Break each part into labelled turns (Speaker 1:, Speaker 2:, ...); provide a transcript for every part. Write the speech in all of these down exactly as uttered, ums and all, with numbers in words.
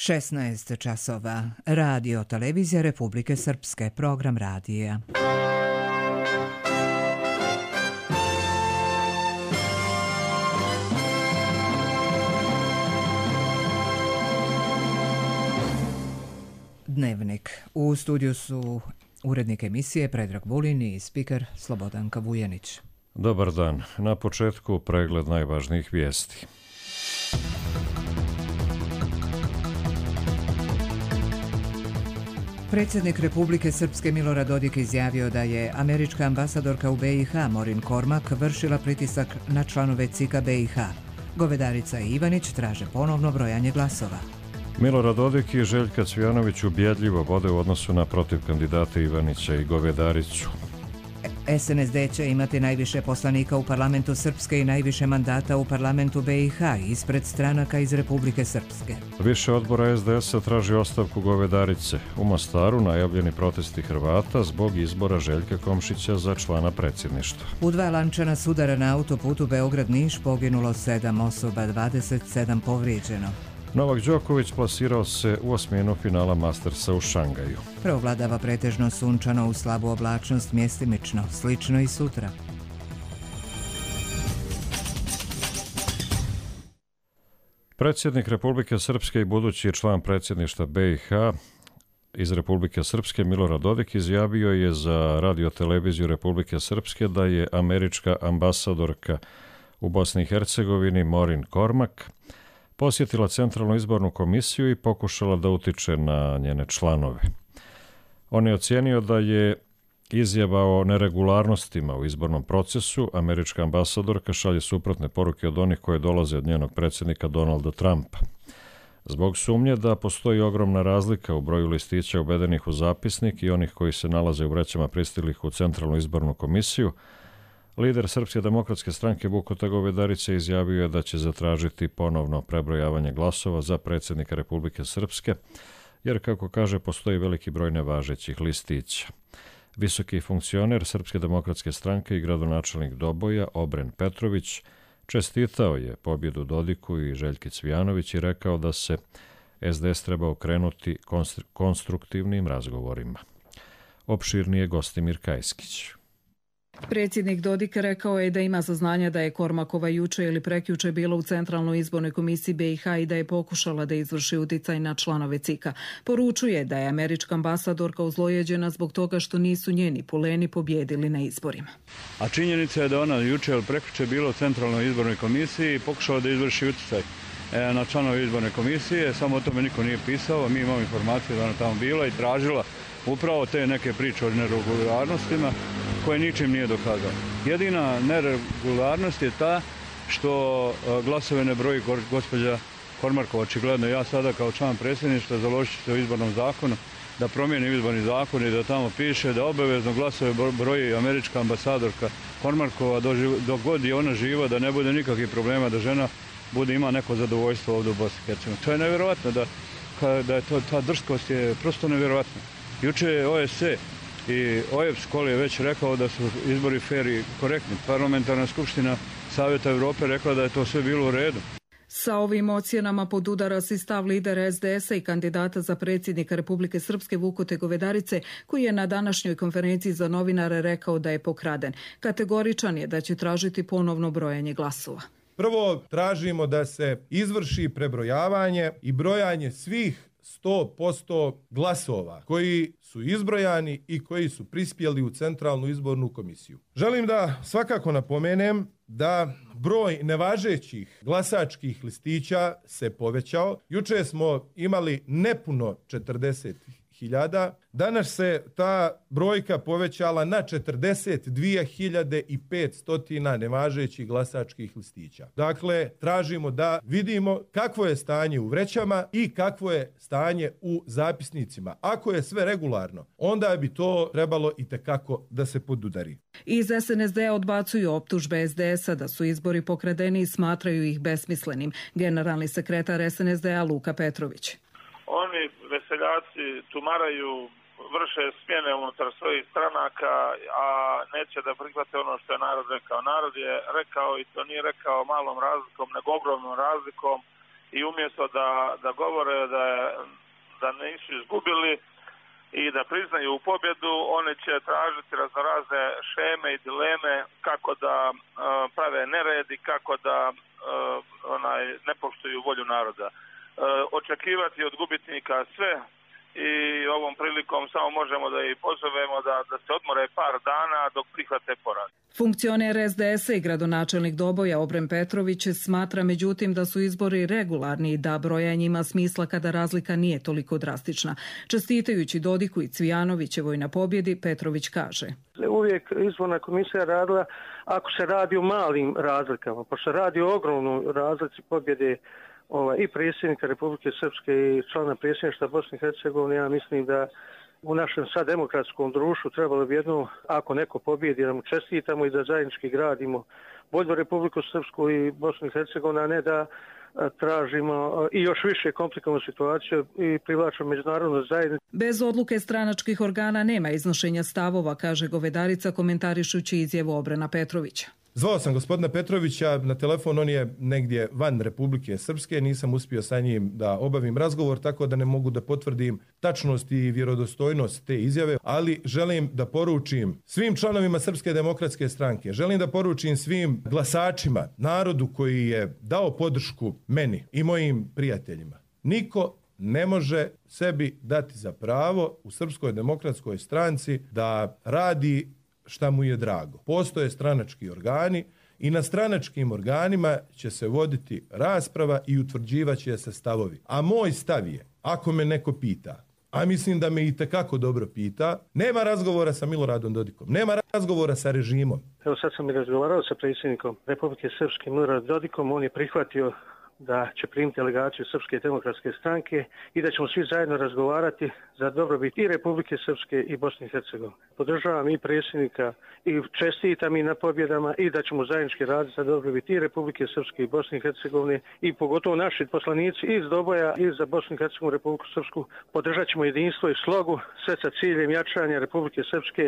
Speaker 1: šesnaest časova. Radio Televizija Republike Srpske. Program radija. Dnevnik. U studiju su urednik emisije Predrag Vulin i spiker Slobodanka Vujanić.
Speaker 2: Dobar dan. Na početku pregled najvažnijih vijesti.
Speaker 1: Predsjednik Republike Srpske Milorad Dodik izjavio da je američka ambasadorka u be i ha Morin Kormak vršila pritisak na članove C I K-a be i ha. Govedarica i Ivanić traže ponovno brojanje glasova.
Speaker 2: Milorad Dodik i Željka Cvijanović ubjedljivo vode u odnosu na protiv kandidate Ivanića i Govedaricu.
Speaker 1: es en es de će imati najviše poslanika u parlamentu Srpske i najviše mandata u parlamentu be i ha ispred stranaka iz Republike Srpske.
Speaker 2: Više odbora es de esa traži ostavku Govedarice. U Mostaru najavljeni protesti Hrvata zbog izbora Željka Komšića za člana predsjedništva.
Speaker 1: U dva lančana sudara na autoputu Beograd-Niš poginulo sedam osoba, dvadeset sedam povrijeđeno.
Speaker 2: Novak Đoković plasirao se u osminu finala Mastersa u Šangaju.
Speaker 1: Preovladava pretežno sunčano u slabu oblačnost mjestimično, slično i sutra.
Speaker 2: Predsjednik Republike Srpske i budući član predsjedništva be i ha iz Republike Srpske Milorad Dodik izjavio je za Radio Televiziju Republike Srpske da je američka ambasadorka u Bosni i Hercegovini Morin Kormak posjetila Centralnu izbornu komisiju i pokušala da utiče na njene članove. On je ocijenio da je izjava o neregularnostima u izbornom procesu. Američka ambasadorka šalje suprotne poruke od onih koje dolaze od njenog predsjednika Donalda Trumpa. Zbog sumnje da postoji ogromna razlika u broju listića uvedenih u zapisnik i onih koji se nalaze u vrećama pristiglih u Centralnu izbornu komisiju, lider Srpske demokratske stranke Vukota Govedarice izjavio je da će zatražiti ponovno prebrojavanje glasova za predsjednika Republike Srpske, jer, kako kaže, postoji veliki broj nevažećih listića. Visoki funkcioner Srpske demokratske stranke i gradonačelnik Doboja, Obren Petrović, čestitao je pobjedu Dodiku i Željki Cvijanović i rekao da se es de es treba okrenuti konstruktivnim razgovorima. Opširnije Gostimir Kajskić.
Speaker 3: Predsjednik Dodik rekao je da ima saznanja da je Kormakova juče ili prekjuče bila u Centralnoj izbornoj komisiji be i ha i da je pokušala da izvrši uticaj na članove C I K-a. Poručuje da je američka ambasadorka uzlojeđena zbog toga što nisu njeni puleni pobjedili na izborima.
Speaker 4: A činjenica je da ona juče ili prekjuče bila u Centralnoj izbornoj komisiji i pokušala da izvrši uticaj na članove izborne komisije. Samo o tome niko nije pisao, a mi imamo informaciju da ona tamo bila i tražila upravo te neke priče o neregularnostima koje ničim nije dokazao. Jedina neregularnost je ta što glasove ne broji gospođa Kormakova. Očigledno ja sada kao član predsjedništva založit ću se u izbornom zakonu da promijenim izborni zakon i da tamo piše da obavezno glasove broji američka ambasadorka Kormakova dok god je ona živa, da ne bude nikakvih problema, da žena bude ima neko zadovoljstvo ovdje u Bosni i Hercegovini. To je nevjerojatno, da, da je to, ta drskost je prosto nevjerojatna. Juče je o es ce i o e b es je već rekao da su izbori fer i korektni. Parlamentarna skupština Savjeta Europe rekla da je to sve bilo u redu.
Speaker 3: Sa ovim ocjenama podudara se stav lidera es de esa i kandidata za predsjednika Republike Srpske Vukote Govedarice, koji je na današnjoj konferenciji za novinare rekao da je pokraden. Kategoričan je da će tražiti ponovno brojanje glasova.
Speaker 5: Prvo, tražimo da se izvrši prebrojavanje i brojanje svih sto posto glasova koji su izbrojani i koji su prispjeli u Centralnu izbornu komisiju. Želim da svakako napomenem da broj nevažećih glasačkih listića se povećao. Juče smo imali nepuno četrdeset hiljada. Danas se ta brojka povećala na četrdeset dvije hiljade petsto nevažećih glasačkih listića. Dakle, tražimo da vidimo kakvo je stanje u vrećama i kakvo je stanje u zapisnicima. Ako je sve regularno, onda bi to trebalo itekako da se podudari.
Speaker 3: Iz es en es de odbacuju optužbe es de esa da su izbori pokradeni i smatraju ih besmislenim. Generalni sekretar es en es de-a Luka Petrović.
Speaker 6: Oni veseljaci tumaraju, vrše smjene unutar svojih stranaka, a neće da prihvate ono što je narod rekao. Narod je rekao, i to nije rekao malom razlikom, nego ogromnom razlikom, i umjesto da, da govore da, da nisu izgubili i da priznaju pobjedu, oni će tražiti raznorazne šeme i dileme kako da uh, prave nered i kako da uh, onaj, ne poštuju volju naroda. Uh, očekivati od gubitnika sve i ovom prilikom samo možemo da ih pozovemo da, da se odmore par dana dok prihvate poraz.
Speaker 3: Funkcioner es de es a i gradonačelnik Doboja Obren Petrović smatra međutim da su izbori regularni i da brojanje ima smisla kada razlika nije toliko drastična. Čestitajući Dodiku i Cvijanovićevoj na pobjedi, Petrović kaže:
Speaker 7: Uvijek izborna komisija radila ako se radi o malim razlikama, pa se radi o ogromnoj razlici pobjede Ovaj, i predsjednika Republike Srpske i člana predsjedništva Bosne i Hercegovine. Ja mislim da u našem sad demokratskom društvu trebalo bi jedno, ako neko pobjedi, da mu čestitamo i da zajednički gradimo bolju Republiku Srpsku i Bosnu i Hercegovinu, a ne da tražimo i još više komplikovanu situaciju i privlačimo međunarodnu zajednicu.
Speaker 3: Bez odluke stranačkih organa nema iznošenja stavova, kaže Govedarica komentarišući izjavu Obrena Petrovića.
Speaker 5: Zvao sam gospodina Petrovića na telefon, on je negdje van Republike Srpske, nisam uspio sa njim da obavim razgovor, tako da ne mogu da potvrdim tačnost i vjerodostojnost te izjave, ali želim da poručim svim članovima Srpske demokratske stranke, želim da poručim svim glasačima, narodu koji je dao podršku meni i mojim prijateljima. Niko ne može sebi dati za pravo u Srpskoj demokratskoj stranci da radi šta mu je drago. Postoje stranački organi i na stranačkim organima će se voditi rasprava i utvrđivat će se stavovi. A moj stav je, ako me neko pita, a mislim da me i tekako dobro pita, nema razgovora sa Miloradom Dodikom, nema razgovora sa režimom.
Speaker 7: Evo sad sam i razgovarao sa predsjednikom Republike Srpske Miloradom Dodikom, on je prihvatio da će primiti delegaciju Srpske demokratske stranke i da ćemo svi zajedno razgovarati za dobrobit i Republike Srpske i Bosne i Hercegovine. Podržavam i predsjednika i čestitam i na pobjedama i da ćemo zajednički raditi za dobrobit i Republike Srpske i Bosne i Hercegovine i pogotovo naši poslanici iz Doboja i za Bosnu i Hercegovinu, Republiku Srpsku. Podržat ćemo jedinstvo i slogu, sve sa ciljem jačanja Republike Srpske,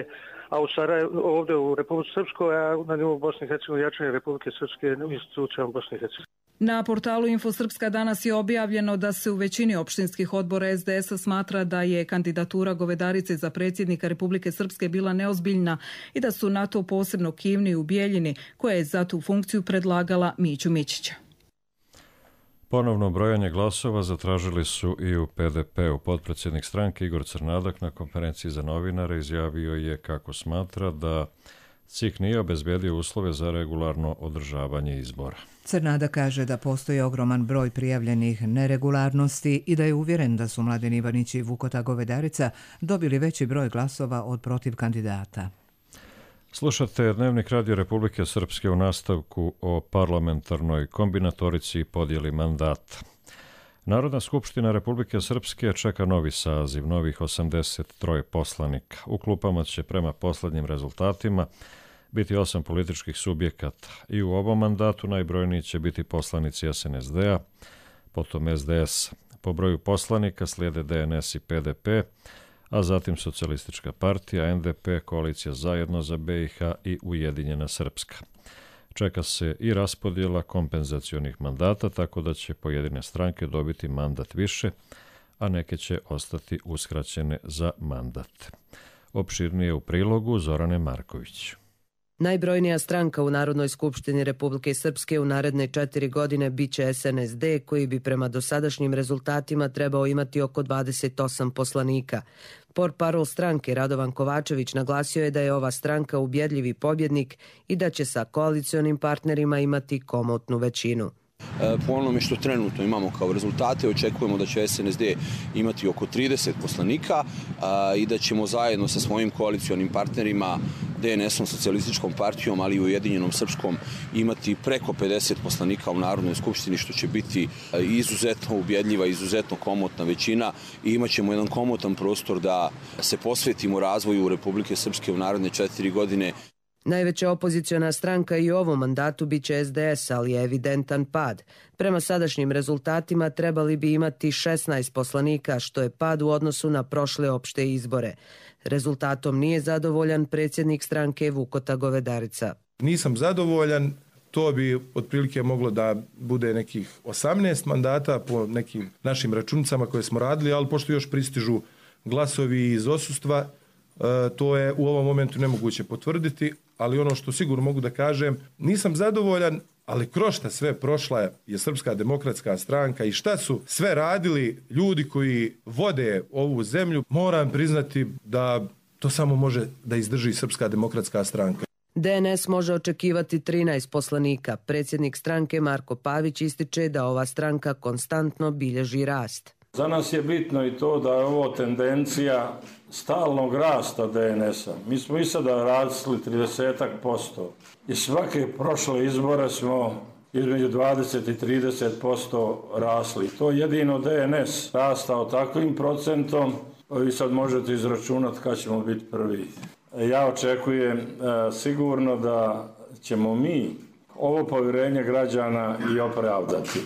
Speaker 7: a u Sarajevu, ovdje u Republike Srpskoj, a na nivou Bosne i Hercegovine jačanja Republike Srpske u institucijama Bosne i Hercegovine.
Speaker 3: Na portalu Infosrpska danas je objavljeno da se u većini opštinskih odbora es de es a smatra da je kandidatura Govedarice za predsjednika Republike Srpske bila neozbiljna i da su na to posebno kivni u Bijeljini, koja je za tu funkciju predlagala Miću Mićića.
Speaker 2: Ponovno brojanje glasova zatražili su i u pe de pe-u. Potpredsjednik stranke Igor Crnadak na konferenciji za novinare izjavio je kako smatra da C I K nije obezbedio uslove za regularno održavanje izbora.
Speaker 1: Crnada kaže da postoji ogroman broj prijavljenih neregularnosti i da je uvjeren da su Mladen Ivanić i Vukota Govedarica dobili veći broj glasova od protiv kandidata.
Speaker 2: Slušate Dnevnik Radio Republike Srpske u nastavku o parlamentarnoj kombinatorici i podjeli mandata. Narodna skupština Republike Srpske čeka novi saziv, novih osamdeset tri poslanika. U klupama će prema poslednjim rezultatima biti osam političkih subjekata i u ovom mandatu najbrojniji će biti poslanici es en es de-a, potom es de es. Po broju poslanika slijede de en es i pe de pe, a zatim Socijalistička partija, en de pe, Koalicija Zajedno za be i ha i Ujedinjena Srpska. Čeka se i raspodjela kompenzacionih mandata, tako da će pojedine stranke dobiti mandat više, a neke će ostati uskraćene za mandat. Opširnije u prilogu Zorane Marković.
Speaker 8: Najbrojnija stranka u Narodnoj skupštini Republike Srpske u naredne četiri godine biće es en es de, koji bi prema dosadašnjim rezultatima trebao imati oko dvadeset osam poslanika. Portparol stranke Radovan Kovačević naglasio je da je ova stranka ubjedljivi pobjednik i da će sa koalicionim partnerima imati komotnu većinu.
Speaker 9: Po onome što trenutno imamo kao rezultate, očekujemo da će es en es de imati oko trideset poslanika i da ćemo zajedno sa svojim koalicionim partnerima, de en esom, Socijalističkom partijom, ali i Ujedinjenom Srpskom, imati preko pedeset poslanika u Narodnoj skupštini, što će biti izuzetno ubjedljiva, izuzetno komotna većina i imat ćemo jedan komotan prostor da se posvetimo razvoju Republike Srpske u naredne četiri godine.
Speaker 8: Najveća opoziciona stranka i u ovom mandatu biće es de es, ali je evidentan pad. Prema sadašnjim rezultatima trebali bi imati šesnaest poslanika, što je pad u odnosu na prošle opšte izbore. Rezultatom nije zadovoljan predsjednik stranke Vukota Govedarica.
Speaker 5: Nisam zadovoljan, to bi otprilike moglo da bude nekih osamnaest mandata po nekim našim računicama koje smo radili, ali pošto još pristižu glasovi iz odsustva, to je u ovom momentu nemoguće potvrditi, ali ono što sigurno mogu da kažem, nisam zadovoljan, ali kroz šta sve prošla je Srpska demokratska stranka i šta su sve radili ljudi koji vode ovu zemlju, moram priznati da to samo može da izdrži Srpska demokratska stranka.
Speaker 8: D N S može očekivati trinaest poslanika. Predsjednik stranke Marko Pavić ističe da ova stranka konstantno bilježi rast.
Speaker 10: Za nas je bitno i to da je ovo tendencija stalnog rasta D N S-a. Mi smo i sada rasli trideset posto i svake prošle izbore smo između dvadeset i trideset posto rasli. To je jedino D N S rastao takvim procentom, vi sad možete izračunati kad ćemo biti prvi. Ja očekujem e, sigurno da ćemo mi ovo povjerenje građana i opravdati.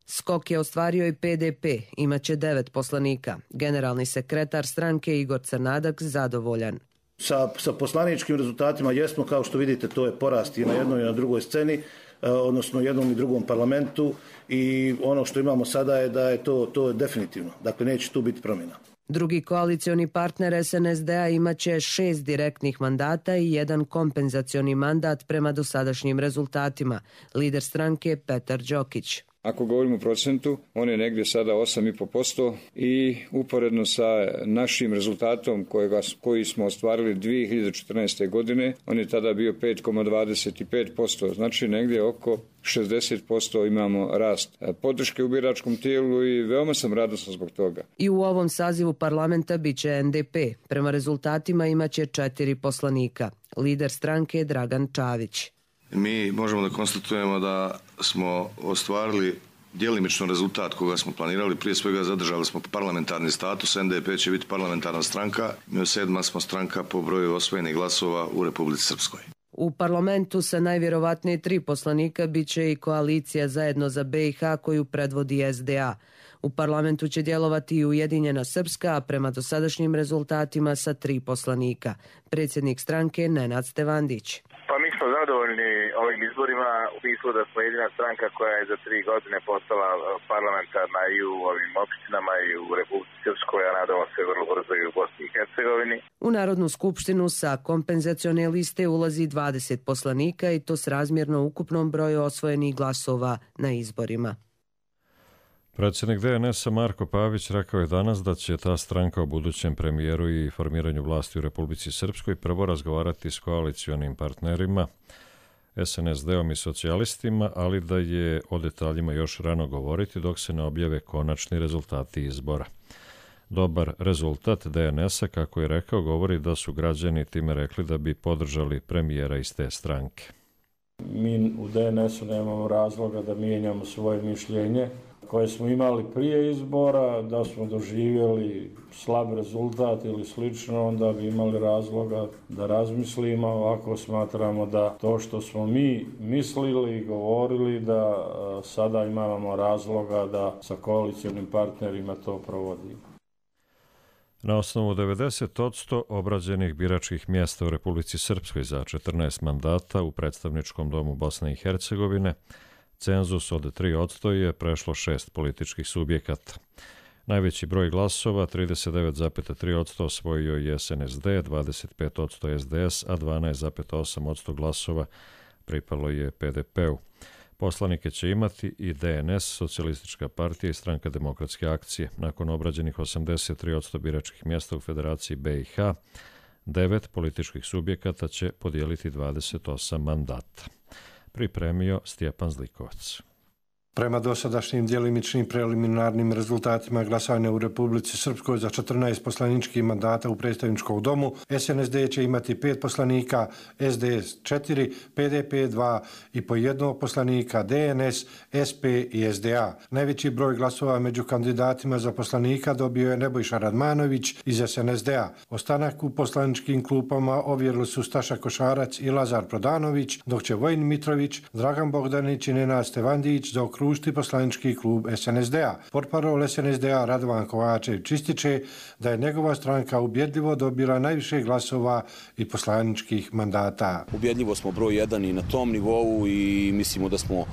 Speaker 8: Skok je ostvario i P D P, imaće devet poslanika. Generalni sekretar stranke Igor Crnadak zadovoljan.
Speaker 11: Sa, sa poslaničkim rezultatima jesmo, kao što vidite, to je porast i na jednoj i na drugoj sceni, odnosno jednom i drugom parlamentu, i ono što imamo sada je da je to, to je definitivno. Dakle, neće tu biti promjena.
Speaker 8: Drugi koalicioni partner S N S D-a imaće šest direktnih mandata i jedan kompenzacioni mandat prema dosadašnjim rezultatima. Lider stranke Petar Đokić.
Speaker 12: Ako govorimo o procentu, on je negdje sada osam i pol posto i uporedno sa našim rezultatom kojega, koji smo ostvarili dvije hiljade četrnaeste. godine, on je tada bio pet zarez dvadeset pet posto, znači negdje oko šezdeset posto imamo rast podrške u biračkom tijelu i veoma sam radosan zbog toga.
Speaker 8: I u ovom sazivu parlamenta biće N D P. Prema rezultatima imaće četiri poslanika. Lider stranke je Dragan Čavić.
Speaker 13: Mi možemo da konstatujemo da smo ostvarili djelimično rezultat koga smo planirali. Prije svega zadržali smo parlamentarni status, N D P će biti parlamentarna stranka, mi sedma smo stranka po broju osvojenih glasova u Republici Srpskoj.
Speaker 8: U parlamentu sa najvjerovatnije tri poslanika biće i koalicija Zajedno za B i H koju predvodi S D A. U parlamentu će djelovati i Ujedinjena Srpska, a prema dosadašnjim rezultatima sa tri poslanika. Predsjednik stranke Nenad Stevandić.
Speaker 6: Pa mi smo zadovoljni ovim izborima u smislu da smo jedina stranka koja je za tri godine postala parlamentarna i u ovim opštinama i u Republici Srpskoj, a nadamo se vrlo brzo i u Bosni i Hercegovini.
Speaker 8: U Narodnu skupštinu sa kompenzacione liste ulazi dvadeset poslanika i to s razmjerno ukupnom broju osvojenih glasova na izborima.
Speaker 2: Predsjednik D N S-a Marko Pavić rekao je danas da će ta stranka o budućem premijeru i formiranju vlasti u Republici Srpskoj prvo razgovarati s koalicionim partnerima, S N S D-om i socijalistima, ali da je o detaljima još rano govoriti dok se ne objave konačni rezultati izbora. Dobar rezultat D N S-a, kako je rekao, govori da su građani time rekli da bi podržali premijera iz te stranke.
Speaker 10: Mi u D N S-u nemamo razloga da mijenjamo svoje mišljenje koje smo imali prije izbora, da smo doživjeli slab rezultat ili slično, onda bi imali razloga da razmislimo. Ovako smatramo da to što smo mi mislili i govorili, da sada imamo razloga da sa koalicionim partnerima to provodimo.
Speaker 2: Na osnovu devedeset posto obrađenih biračkih mjesta u Republici Srpskoj za četrnaest mandata u predstavničkom domu Bosne i Hercegovine, cenzus od tri posto je prešlo šest političkih subjekata. Najveći broj glasova, trideset devet zarez tri posto, osvojio je S N S D, dvadeset pet posto S D S, a dvanaest zarez osam posto glasova pripalo je P D P-u. Poslanike će imati i D N S, Socijalistička partija i Stranka demokratske akcije. Nakon obrađenih osamdeset tri posto biračkih mjesta u Federaciji B i H, devet političkih subjekata će podijeliti dvadeset osam mandata. Pripremio Stjepan Zlikovac.
Speaker 14: Prema dosadašnjim djelimičnim preliminarnim rezultatima glasanja u Republici Srpskoj za četrnaest poslaničkih mandata u predstavničkom domu, S N S D će imati pet poslanika, S D S četiri, P D P dva i po jednog poslanika, D N S, S P i S D A. Najveći broj glasova među kandidatima za poslanika dobio je Nebojša Radmanović iz S N S D-a. Ostanak u poslaničkim klupama ovjerili su Staša Košarac i Lazar Prodanović, dok će Vojin Mitrović, Dragan Bogdanić i Nenad Stevandić zaokružiti zaokružiti poslanički klub S N S D-a. Portparol S N S D-a Radovan Kovačević ističe da je njegova stranka ubjedljivo dobila najviše glasova i poslaničkih mandata.
Speaker 9: Ubjedljivo smo broj jedan i na tom nivou i mislimo da smo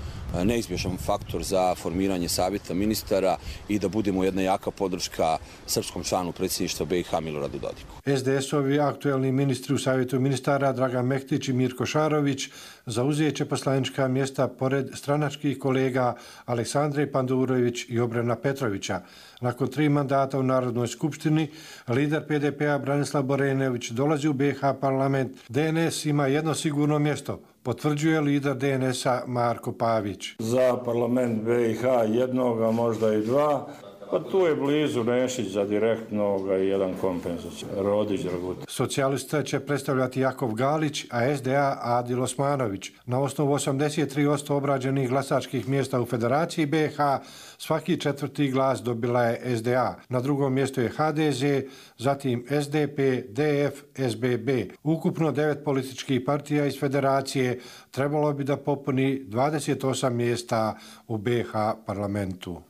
Speaker 9: neizbježan faktor za formiranje savjeta ministara i da budemo jedna jaka podrška srpskom članu predsjedništva B i H Miloradu Dodiku.
Speaker 14: S D S-ovi aktuelni ministri u savjetu ministara Dragan Mehtić i Mirko Šarović zauzet će poslanička mjesta pored stranačkih kolega Aleksandre Pandurović i Obrana Petrovića. Nakon tri mandata u Narodnoj skupštini, lider P D P-a Branislav Borenović dolazi u B i H parlament. D N S ima jedno sigurno mjesto, potvrđuje lider D N S-a Marko Pavić.
Speaker 10: Za parlament B i H jednoga, možda i dva. Pa tu je blizu Nešić za direktnog i jedan kompenzacija. Rodić Dragutin.
Speaker 14: Socijalista će predstavljati Jakov Galić, a S D A Adil Osmanović. Na osnovu osamdeset tri posto obrađenih glasačkih mjesta u Federaciji B i H, svaki četvrti glas dobila je S D A. Na drugom mjestu je H D Z, zatim S D P, D F, S B B. Ukupno devet političkih partija iz Federacije trebalo bi da popuni dvadeset osam mjesta u B i H parlamentu.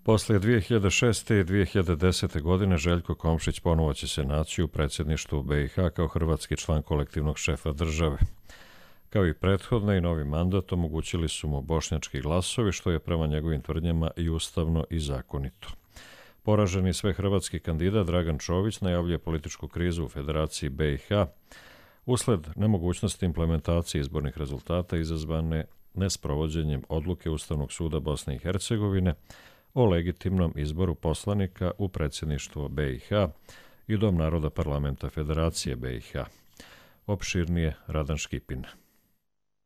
Speaker 2: Poslije dvije hiljade šeste i dvije hiljade desete. godine Željko Komšić ponovo će se naći u predsjedništvu B i H kao hrvatski član kolektivnog šefa države. Kao i prethodne i novi mandat omogućili su mu bošnjački glasovi, što je prema njegovim tvrdnjama i ustavno i zakonito. Poraženi svehrvatski kandidat Dragan Čović najavljuje političku krizu u Federaciji B i H usled nemogućnosti implementacije izbornih rezultata izazvane nesprovođenjem odluke Ustavnog suda Bosne i Hercegovine o legitimnom izboru poslanika u predsjedništvo B i H i Dom naroda parlamenta Federacije B i H. Opširnije Radan Škipin.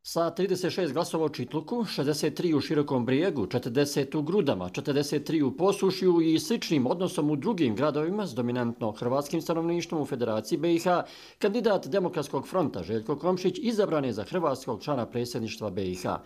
Speaker 15: Sa trideset šest glasova u Čitluku, šezdeset tri u Širokom Brijegu, četrdeset u Grudama, četrdeset tri u Posušju i sličnim odnosom u drugim gradovima s dominantno hrvatskim stanovništvom u Federaciji B i H, kandidat Demokratskog fronta Željko Komšić izabran je za hrvatskog člana predsjedništva B i H.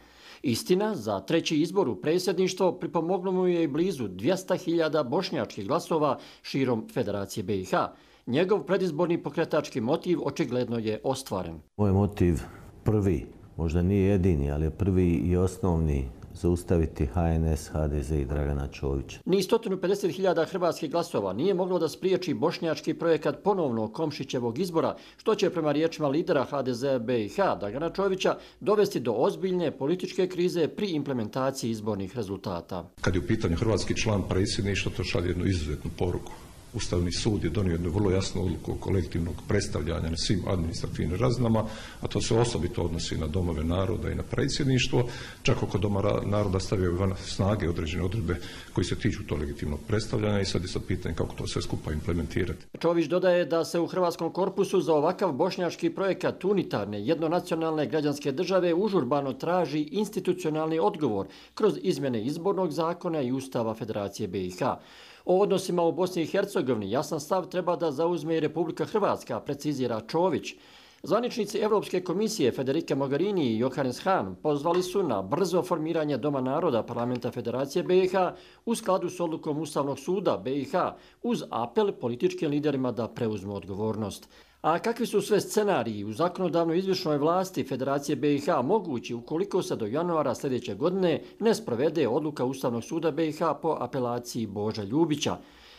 Speaker 15: Istina, za treći izbor u predsjedništvo pripomoglo mu je i blizu dvjesto hiljada bošnjačkih glasova širom Federacije B i H. Njegov predizborni pokretački motiv očigledno je ostvaren.
Speaker 16: Moj motiv prvi, možda nije jedini, ali je prvi i osnovni, zaustaviti H N S, H D Z i Dragana Čovića.
Speaker 15: Ni sto pedeset hiljada hrvatskih glasova nije moglo da spriječi bošnjački projekat ponovnog Komšićevog izbora, što će prema riječima lidera H D Z B i H Dragana Čovića dovesti do ozbiljne političke krize pri implementaciji izbornih rezultata.
Speaker 17: Kad je u pitanju hrvatski član predsjedništva, to šalje jednu izuzetnu poruku. Ustavni sud je donio jednu vrlo jasnu odluku kolektivnog predstavljanja na svim administrativnim razinama, a to se osobito odnosi na domove naroda i na predsjedništvo. Čak oko doma naroda stavljaju van snage određene odredbe koji se tiču to legitimnog predstavljanja i sad je sad pitanje kako to sve skupa implementirati.
Speaker 15: Čović dodaje da se u hrvatskom korpusu za ovakav bošnjački projekat unitarne jednonacionalne građanske države užurbano traži institucionalni odgovor kroz izmjene izbornog zakona i Ustava Federacije B i H. O odnosima u Bosni i Hercegovini jasan stav treba da zauzme i Republika Hrvatska, precizira Čović. Zvaničnici Europske komisije Federica Mogherini i Johannes Hahn pozvali su na brzo formiranje Doma naroda parlamenta Federacije B i H u skladu s odlukom Ustavnog suda B i H uz apel političkim liderima da preuzmu odgovornost. A kakvi su sve scenariji u zakonodavnoj izvršnoj vlasti Federacije B i H mogući ukoliko se do januara sljedeće godine ne sprovede odluka Ustavnog suda B i H po apelaciji Boža Ljubića?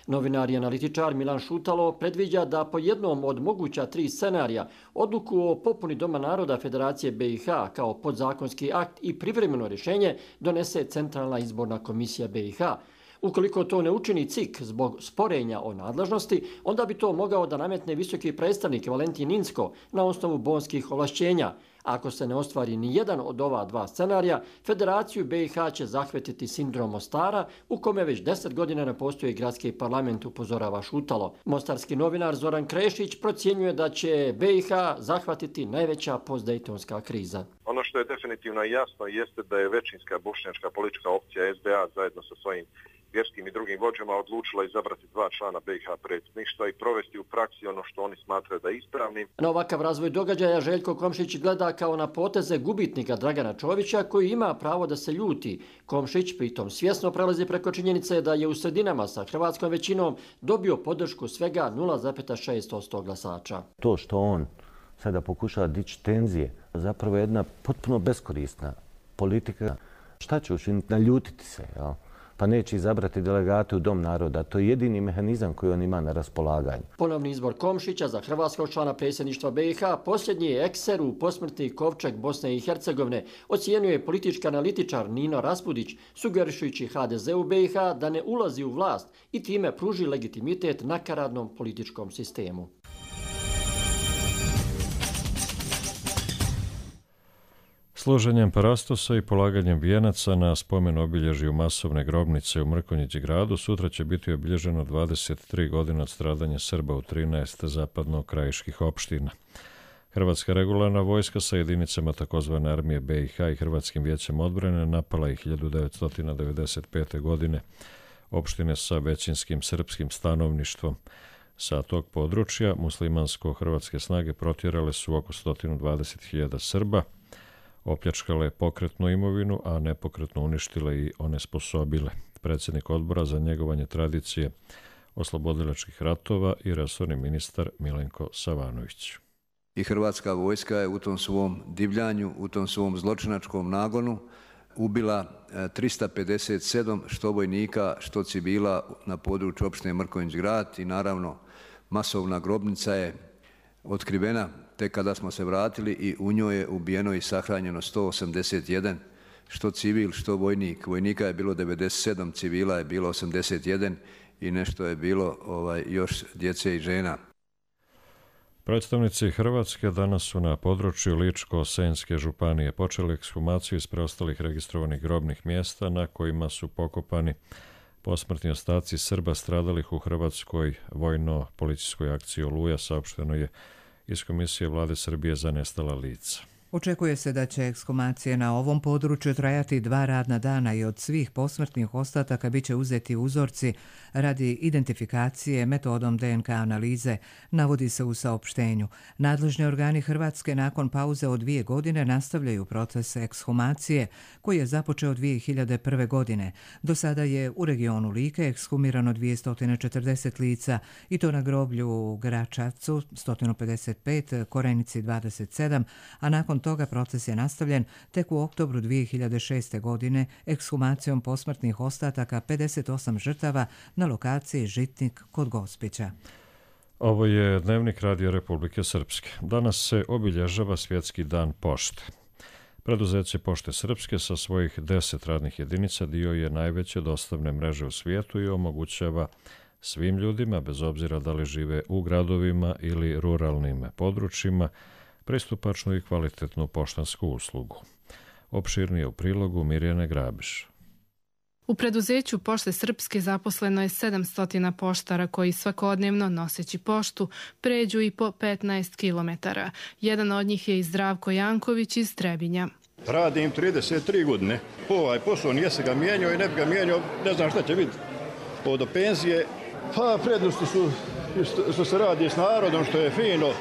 Speaker 15: Novinar i analitičar Milan Šutalo predviđa da po jednom od moguća tri scenarija odluku o popuni Doma naroda Federacije B i H kao podzakonski akt i privremeno rješenje donese Centralna izborna komisija B i H. Ukoliko to ne učini C I K zbog sporenja o nadležnosti, onda bi to mogao da nametne visoki predstavnik Valentin Inzko na osnovu bonskih ovlašćenja. Ako se ne ostvari ni jedan od ova dva scenarija, Federaciju B i H će zahvetiti sindrom Mostara, u kome već deset godina ne postoji gradski parlament, upozorava Šutalo. Mostarski novinar Zoran Krešić procjenjuje da će B i H zahvatiti najveća postdejtonska kriza.
Speaker 18: Ono što je definitivno jasno jeste da je većinska bošnjačka politička opcija S D A zajedno sa svojim vjerskim i drugim vođama odlučila izabrati dva člana B i H predsjedništva i provesti u praksi ono što oni smatraju da je ispravnim.
Speaker 15: Na ovakav razvoj događaja Željko Komšić gleda kao na poteze gubitnika Dragana Čovića koji ima pravo da se ljuti. Komšić pritom svjesno prelazi preko činjenice da je u sredinama sa hrvatskom većinom dobio podršku svega nula zarez šest posto glasača.
Speaker 16: To što on sada pokušava dići tenzije, zapravo je jedna potpuno beskorisna politika. Šta će učiniti? Naljutiti se, jel? Pa neće izabrati delegate u Dom naroda. To je jedini mehanizam koji on ima na raspolaganju.
Speaker 15: Ponovni izbor Komšića za hrvatskog člana predsjedništva B i H posljednji je ekser u posmrtni kovčeg Bosne i Hercegovine, ocijenjuje politički analitičar Nino Raspudić, sugerišujući H D Z u B i H da ne ulazi u vlast i time pruži legitimitet nakaradnom političkom sistemu.
Speaker 2: Služenjem parastosa i polaganjem vijenaca na spomen obilježju masovne grobnice u Mrkonjić gradu sutra će biti obilježeno dvadeset tri godina od stradanja Srba u trinaest zapadno-krajiških opština. Hrvatska regularna vojska sa jedinicama takozvane armije B i H i Hrvatskim vijećem odbrane napala je hiljadu devetsto devedeset pete. godine opštine sa većinskim srpskim stanovništvom. Sa tog područja muslimansko-hrvatske snage protjerale su oko sto dvadeset hiljada Srba, opljačkale pokretnu imovinu, a nepokretno uništile i onesposobile. Predsjednik odbora za njegovanje tradicije oslobodilačkih ratova i resorni ministar Milenko Savanović.
Speaker 19: I Hrvatska vojska je u tom svom divljanju, u tom svom zločinačkom nagonu ubila trista pedeset sedam što vojnika, što civila na području opštine Mrkonjić grad i naravno masovna grobnica je otkrivena tek kada smo se vratili i u njoj je ubijeno i sahranjeno sto osamdeset jedan, što civil, što vojnik. Vojnika je bilo devedeset sedam, civila je bilo osamdeset jedan i nešto je bilo ovaj, još djece i žena.
Speaker 2: Predstavnici Hrvatske danas su na području Ličko-Senjske županije počeli ekshumaciju iz preostalih registrovanih grobnih mjesta na kojima su pokopani posmrtni ostaci Srba stradalih u hrvatskoj vojno-policijskoj akciji Oluja, saopšteno je iz Komisije Vlade Srbije za nestala lica.
Speaker 1: Očekuje se da će ekshumacije na ovom području trajati dva radna dana i od svih posmrtnih ostataka bit će uzeti uzorci radi identifikacije metodom D N K analize, navodi se u saopštenju. Nadležni organi Hrvatske nakon pauze od dvije godine nastavljaju proces ekshumacije koji je započeo dvije hiljade prve. godine. Do sada je u regionu Like ekshumirano dvjesto četrdeset lica i to na groblju u Gračacu sto pedeset pet, Korenici dvadeset sedam, a nakon toga proces je nastavljen tek u oktobru dvije hiljade šeste. godine ekshumacijom posmrtnih ostataka pedeset osam žrtava na lokaciji Žitnik kod Gospića.
Speaker 2: Ovo je Dnevnik Radio Republike Srpske. Danas se obilježava Svjetski dan pošte. Preduzeće Pošte Srpske sa svojih deset radnih jedinica dio je najveće dostavne mreže u svijetu i omogućava svim ljudima, bez obzira da li žive u gradovima ili ruralnim područjima, pristupačnu i kvalitetnu poštansku uslugu. Opširnije u prilogu Mirjane Grabiš.
Speaker 20: U preduzeću Pošte Srpske zaposleno je sedamsto poštara koji svakodnevno, noseći poštu, pređu i po petnaest kilometara. Jedan od njih je i Zdravko Janković iz Trebinja.
Speaker 21: Radim trideset tri godine. Ovaj posao nije se ga mijenjao i ne bi ga mijenjao, ne znam šta će biti od penzije. Pa prednosti su što se radi s narodom, što je fino,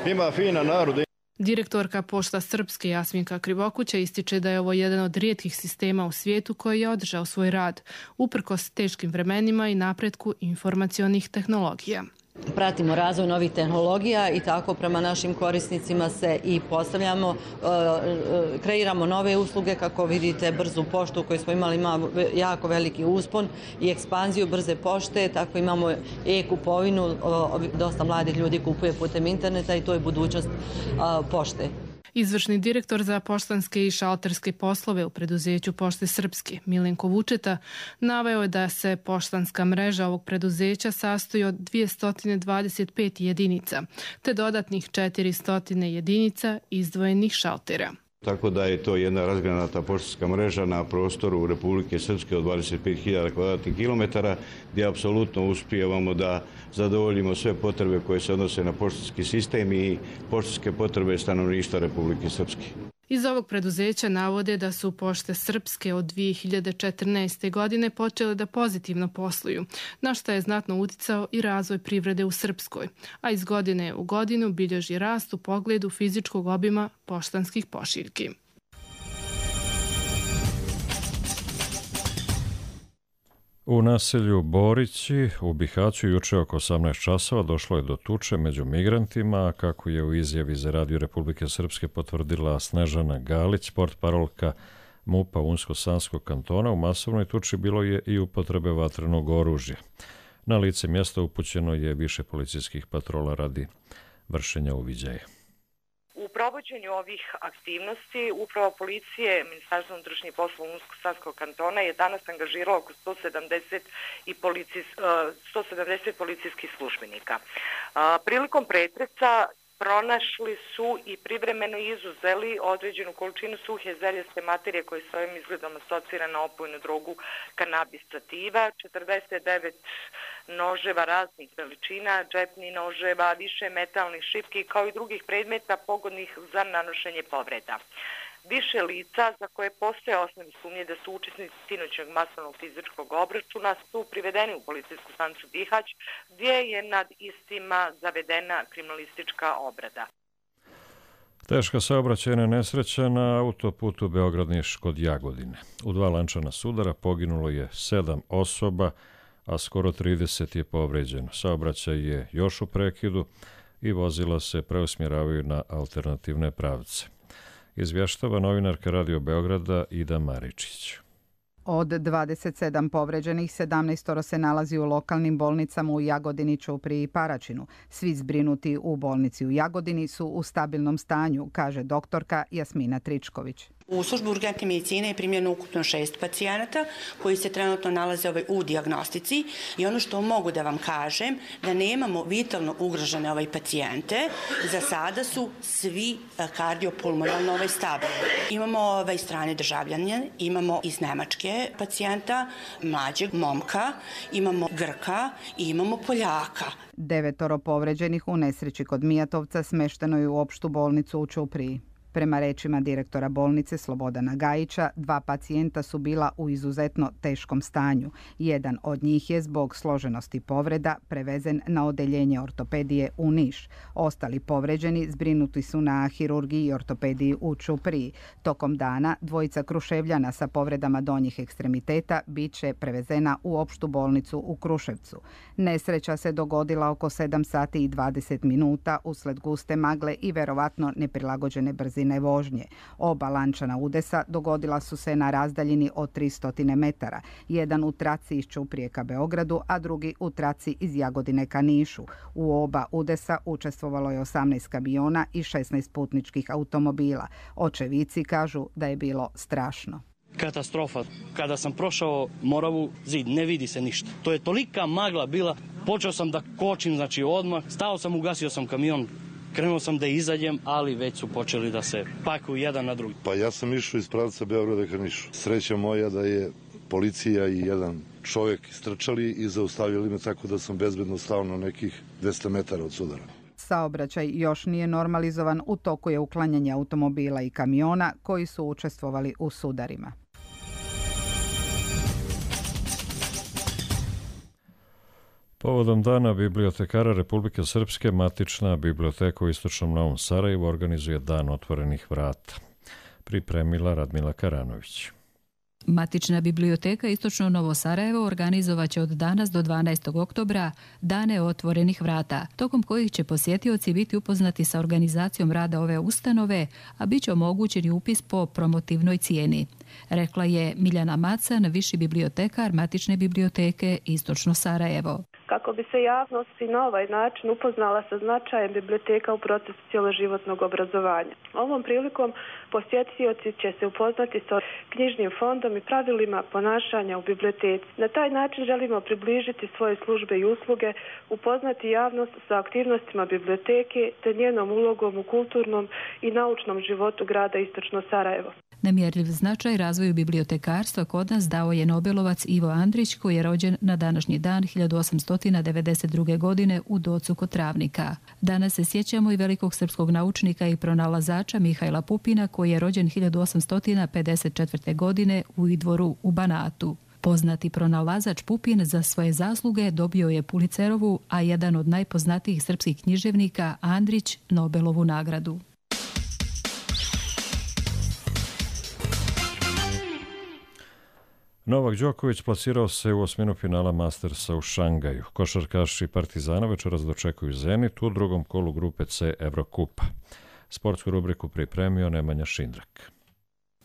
Speaker 21: ima fina naroda.
Speaker 20: Direktorka Pošta Srpske Jasminka Krivokuća ističe da je ovo jedan od rijetkih sistema u svijetu koji je održao svoj rad, uprkos teškim vremenima i napretku informacionih tehnologija.
Speaker 22: Pratimo razvoj novih tehnologija i tako prema našim korisnicima se i postavljamo, kreiramo nove usluge, kako vidite brzu poštu koju smo imali, ima jako veliki uspon i ekspanziju brze pošte, tako imamo e-kupovinu, dosta mladih ljudi kupuje putem interneta i to je budućnost pošte.
Speaker 20: Izvršni direktor za poštanske i šalterske poslove u preduzeću Pošte Srpske, Milenko Vučeta, naveo je da se poštanska mreža ovog preduzeća sastoji od dvjesto dvadeset pet jedinica, te dodatnih četiristo jedinica izdvojenih šaltera.
Speaker 23: Tako da je to jedna razgranata poštanska mreža na prostoru Republike Srpske od dvadeset pet hiljada kvadratnih kilometara, gdje apsolutno uspijevamo da zadovoljimo sve potrebe koje se odnose na poštanski sistem i poštanske potrebe stanovništva Republike Srpske.
Speaker 20: Iz ovog preduzeća navode da su Pošte Srpske od dvije hiljade četrnaeste. godine počele da pozitivno posluju, na što je znatno uticao i razvoj privrede u Srpskoj, a iz godine u godinu bilježi rast u pogledu fizičkog obima poštanskih pošiljki.
Speaker 2: U naselju Borići u Bihaću juče oko osamnaest časova došlo je do tuče među migrantima, a kako je u izjavi za Radio Republike Srpske potvrdila Snežana Galić, portparolka MUP-a Unsko-Sanskog kantona u masovnoj tuči bilo je i upotrebe vatrenog oružja. Na lice mjesta upućeno je više policijskih patrola radi vršenja uviđaja.
Speaker 3: U provođenju ovih aktivnosti uprava policije Ministarstva unutrašnjih poslova Unsko-Sanskog kantona je danas angažiralo oko sto sedamdeset, i policijs, sto sedamdeset policijskih službenika. Prilikom pretresa pronašli su i privremeno izuzeli određenu količinu suhe zeljaste materije koje s ovim izgledom asocira na opojnu drogu kanabis sativa, četrdeset devet noževa raznih veličina, džepnih noževa, više metalnih šipki kao i drugih predmeta pogodnih za nanošenje povreda. Više lica za koje postoje osnovne sumnje da su učesnici sinoćnog masovnog fizičkog obračuna su privedeni u policijsku stanicu Bihać, gdje je nad istima zavedena kriminalistička obrada.
Speaker 2: Teška saobraćajna nesreća na autoputu Beograd-Niš kod Jagodine. U dva lančana sudara poginulo je sedam osoba, a skoro trideset je povređeno. Saobraćaj je još u prekidu i vozila se preusmjeravaju na alternativne pravce. Izvještava novinarka Radio Beograda Ida Maričić.
Speaker 4: Od dvadeset sedam povređenih, sedamnaest se nalazi u lokalnim bolnicama u Jagodini, Ćupriji i Paraćinu. Svi zbrinuti u bolnici u Jagodini su u stabilnom stanju, kaže doktorka Jasmina Tričković.
Speaker 7: U službu urgentne medicine je primljeno ukupno šest pacijenata koji se trenutno nalaze u dijagnostici i ono što mogu da vam kažem da nemamo vitalno ugrožene ovaj pacijente. Za sada su svi kardiopulmonalno ovaj stabilni. Imamo ovaj strane državljanje, imamo iz Nemačke pacijenta, mlađeg momka, imamo Grka i imamo Poljaka.
Speaker 4: Devetoro povređenih u nesreći kod Mijatovca smešteno je u opštu bolnicu u Ćupriji. Prema rečima direktora bolnice Slobodana Gajića, dva pacijenta su bila u izuzetno teškom stanju. Jedan od njih je zbog složenosti povreda prevezen na odeljenje ortopedije u Niš. Ostali povređeni zbrinuti su na hirurgiji i ortopediji u Ćupriji. Tokom dana dvojica Kruševljana sa povredama donjih ekstremiteta bit će prevezena u opštu bolnicu u Kruševcu. Nesreća se dogodila oko sedam sati i dvadeset minuta usled guste magle i verovatno neprilagođene brzine vožnje. Oba lančana udesa dogodila su se na razdaljini od tristo metara. Jedan u traci iz Ćuprije ka Beogradu, a drugi u traci iz Jagodine ka Nišu. U oba udesa učestvovalo je osamnaest kamiona i šesnaest putničkih automobila. Očevici kažu da je bilo strašno.
Speaker 24: Katastrofa. Kada sam prošao Moravu, zid, ne vidi se ništa. To je tolika magla bila. Počeo sam da kočim, znači odmah. Stao sam, ugasio sam kamion. Krenuo sam da izađem, ali već su počeli da se pakuju jedan na drugi.
Speaker 25: Pa ja sam išao iz pravca Beograda ka Nišu. Sreća moja da je policija i jedan čovjek istrčali i zaustavili me tako da sam bezbedno stao na nekih dvesta metara od sudara.
Speaker 4: Saobraćaj još nije normalizovan, u toku je uklanjanje automobila i kamiona koji su učestvovali u sudarima.
Speaker 2: Povodom dana bibliotekara Republike Srpske, matična biblioteka u Istočnom Novom Sarajevu organizuje dan otvorenih vrata. Pripremila Radmila Karanović.
Speaker 26: Matična biblioteka Istočno Novo Sarajevo organizovaće od danas do dvanaestog oktobra dane otvorenih vrata, tokom kojih će posjetioci biti upoznati sa organizacijom rada ove ustanove, a bit će omogućeni upis po promotivnoj cijeni. Rekla je Miljana Macan, viši bibliotekar Matične biblioteke Istočno Sarajevo.
Speaker 27: Kako bi se javnost i na ovaj način upoznala sa značajem biblioteka u procesu cjeloživotnog obrazovanja. Ovom prilikom posjetioci će se upoznati sa knjižnim fondom i pravilima ponašanja u biblioteci. Na taj način želimo približiti svoje službe i usluge, upoznati javnost sa aktivnostima biblioteke te njenom ulogom u kulturnom i naučnom životu grada Istočno Sarajevo.
Speaker 26: Nemjerljiv značaj razvoju bibliotekarstva kod nas dao je Nobelovac Ivo Andrić, koji je rođen na današnji dan hiljadu osamsto devedeset druge. godine u Docu kod Travnika. Danas se sjećamo i velikog srpskog naučnika i pronalazača Mihajla Pupina, koji je rođen hiljadu osamsto pedeset četvrte. godine u Idvoru u Banatu. Poznati pronalazač Pupin za svoje zasluge dobio je Pulicerovu, a jedan od najpoznatijih srpskih književnika, Andrić, Nobelovu nagradu.
Speaker 2: Novak Đoković plasirao se u osminu finala Mastersa u Šangaju. Košarkaši Partizana večeras dočekuju Zenit u drugom kolu grupe C Evrokupa. Sportsku rubriku pripremio Nemanja Šindrak.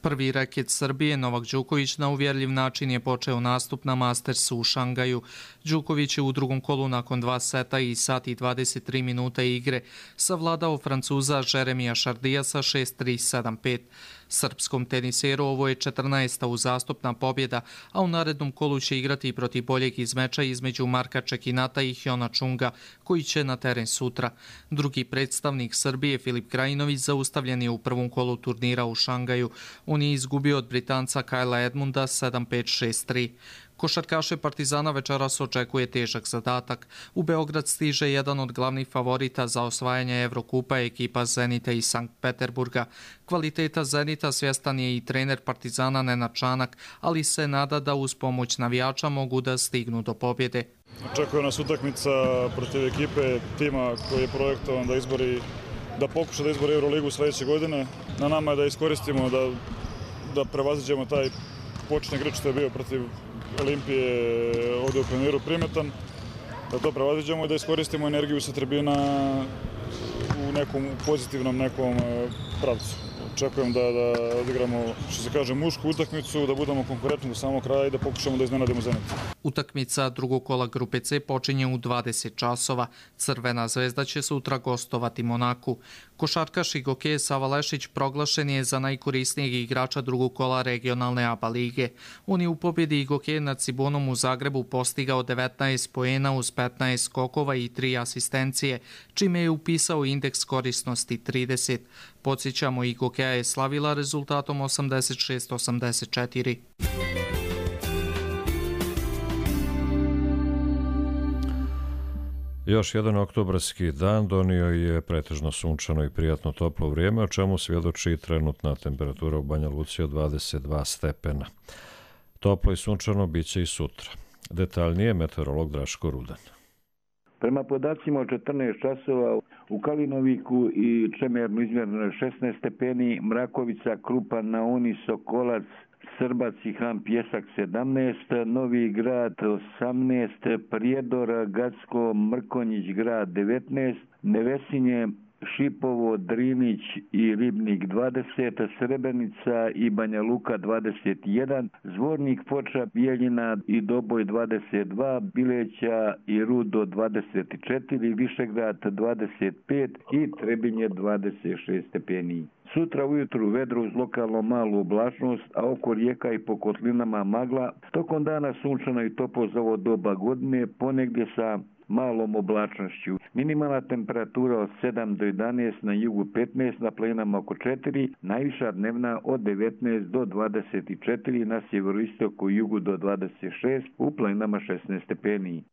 Speaker 5: Prvi reket Srbije, Novak Đoković, na uvjerljiv način je počeo nastup na Mastersu u Šangaju. Đoković je u drugom kolu nakon dva seta i sat i dvadeset tri minuta igre savladao Francuza Jeremija Šardijasa šest tri sedam pet. Srpskom teniseru ovo je četrnaesta uzastopna pobjeda, a u narednom kolu će igrati protiv boljeg iz meča između Marka Čekinata i Hjona Čunga, koji će na teren sutra. Drugi predstavnik Srbije, Filip Krajinović, zaustavljen je u prvom kolu turnira u Šangaju. On je izgubio od Britanca Kajla Edmunda sedam pet šest tri. Košarkaše Partizana večeras očekuje težak zadatak. U Beograd stiže jedan od glavnih favorita za osvajanje Evrokupa, ekipa Zenita iz Sankt Peterburga. Kvaliteta Zenita svjestan je i trener Partizana Nenad Čanak, ali se nada da uz pomoć navijača mogu da stignu do pobjede.
Speaker 6: Očekuje nas utakmica protiv ekipe tima koji je projektovan da izbori, da pokuša da izbori Euroligu sljedeće godine. Na nama je da iskoristimo, da, da prevaziđemo taj početni igrač što je bio protiv Olimpije ovdje u Pioniru primetan, da to prevaziđemo i da iskoristimo energiju sa tribina u nekom pozitivnom nekom pravcu. Očekujem da, da odigramo, što se kaže, mušku utakmicu, da budemo konkurentni do samog kraja i da pokušamo da iznenadimo Zenit.
Speaker 5: Utakmica drugog kola grupe C počinje u dvadeset časova. Crvena zvezda će sutra gostovati Monaku. Košarkaš i gokej Sava Lešić proglašen je za najkorisnijeg igrača drugog kola regionalne A B A lige. On je u pobjedi gokej nad Cibonom u Zagrebu postigao devetnaest poena uz petnaest skokova i tri asistencije, čime je upisao indeks korisnosti trideset. Podsjećamo, i gokeja je slavila rezultatom osamdeset šest osamdeset četiri.
Speaker 2: Još jedan oktobarski dan donio je pretežno sunčano i prijatno toplo vrijeme, o čemu svjedoči trenutna temperatura u Banja Luci od dvadeset dva stepena. Toplo i sunčano bit će i sutra. Detaljnije meteorolog Draško Rudan.
Speaker 8: Prema podacima od četrnaest časova u Kalinoviku i Čemernu izmjereno šesnaest stepeni, Mrakovica, Krupan, Nauni, Sokolac, Srbac i Han Pjesak sedamnaest, Novi Grad osamnaest, Prijedor, Gacko, Mrkonjić grad devetnaest, Nevesinje, Šipovo, Drinić i Ribnik dvadeset, Srebrenica i Banja Luka dvadeset jedan, Zvornik, Foča, Bijeljina i Doboj dvadeset dva, Bileća i Rudo dvadeset četiri, Višegrad dvadeset pet i Trebinje dvadeset šest stepeni. Sutra ujutru vedro uz lokalno malu oblačnost, a oko rijeka i po kotlinama magla. Tokom dana sunčano i toplo za ovo doba godine, ponegdje sa malom oblačnošću. Minimalna temperatura od sedam do jedanaest, na jugu petnaest, na planinama oko četiri, najviša dnevna od devetnaest do dvadeset četiri, na sjeveroistoku i jugu do dvadeset šest, u planinama šesnaest stepeni.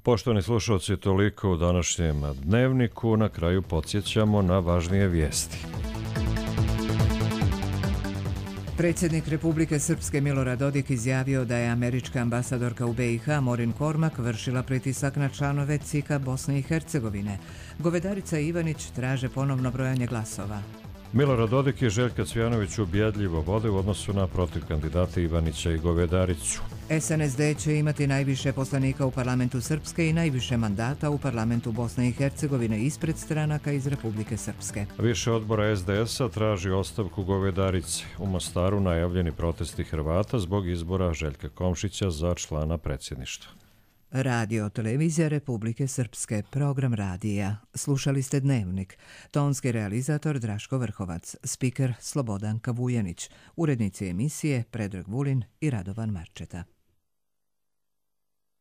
Speaker 2: Poštovani slušalci, toliko u današnjem dnevniku. Na kraju podsjećamo na važnije vijesti.
Speaker 1: Predsjednik Republike Srpske Milorad Dodik izjavio da je američka ambasadorka u B i H Morin Kormak vršila pritisak na članove C I K-a Bosne i Hercegovine. Govedarica Ivanić traže ponovno brojanje glasova.
Speaker 2: Milorad Dodik i Željka Cvijanović ubjedljivo vode u odnosu na protiv kandidata Ivanića i Govedaricu.
Speaker 1: S N S D će imati najviše poslanika u parlamentu Srpske i najviše mandata u parlamentu Bosne i Hercegovine ispred stranaka iz Republike Srpske.
Speaker 2: Više odbora S D S-a traži ostavku Govedarice. U Mostaru najavljeni protesti Hrvata zbog izbora Željka Komšića za člana predsjedništva.
Speaker 1: Radio televizija Republike Srpske, program radija. Slušali ste Dnevnik. Tonski realizator Draško Vrhovac, spiker Slobodan Kavujanić, urednici emisije Predrag Vulin i Radovan Marčeta.